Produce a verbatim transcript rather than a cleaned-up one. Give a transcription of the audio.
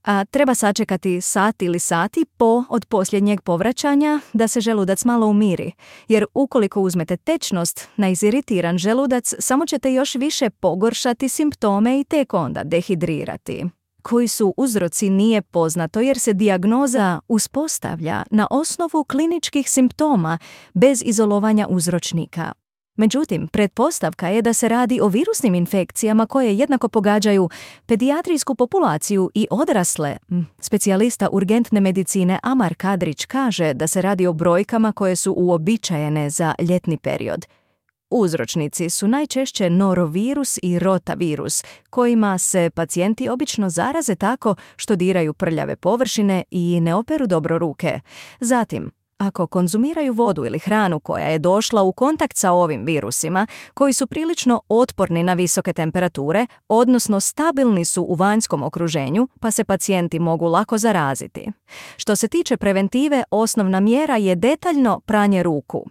A treba sačekati sat ili sati po od posljednjeg povraćanja da se želudac malo umiri, jer ukoliko uzmete tečnost na iziritiran želudac, samo ćete još više pogoršati simptome i tek onda dehidrirati. Koji su uzroci nije poznato jer se dijagnoza uspostavlja na osnovu kliničkih simptoma bez izolovanja uzročnika. Međutim, pretpostavka je da se radi o virusnim infekcijama koje jednako pogađaju pedijatrijsku populaciju i odrasle. Specijalista urgentne medicine Amar Kadrić kaže da se radi o brojkama koje su uobičajene za ljetni period. Uzročnici su najčešće norovirus i rotavirus, kojima se pacijenti obično zaraze tako što diraju prljave površine i ne operu dobro ruke. Zatim, ako konzumiraju vodu ili hranu koja je došla u kontakt sa ovim virusima, koji su prilično otporni na visoke temperature, odnosno stabilni su u vanjskom okruženju, pa se pacijenti mogu lako zaraziti. Što se tiče preventive, osnovna mjera je detaljno pranje ruku.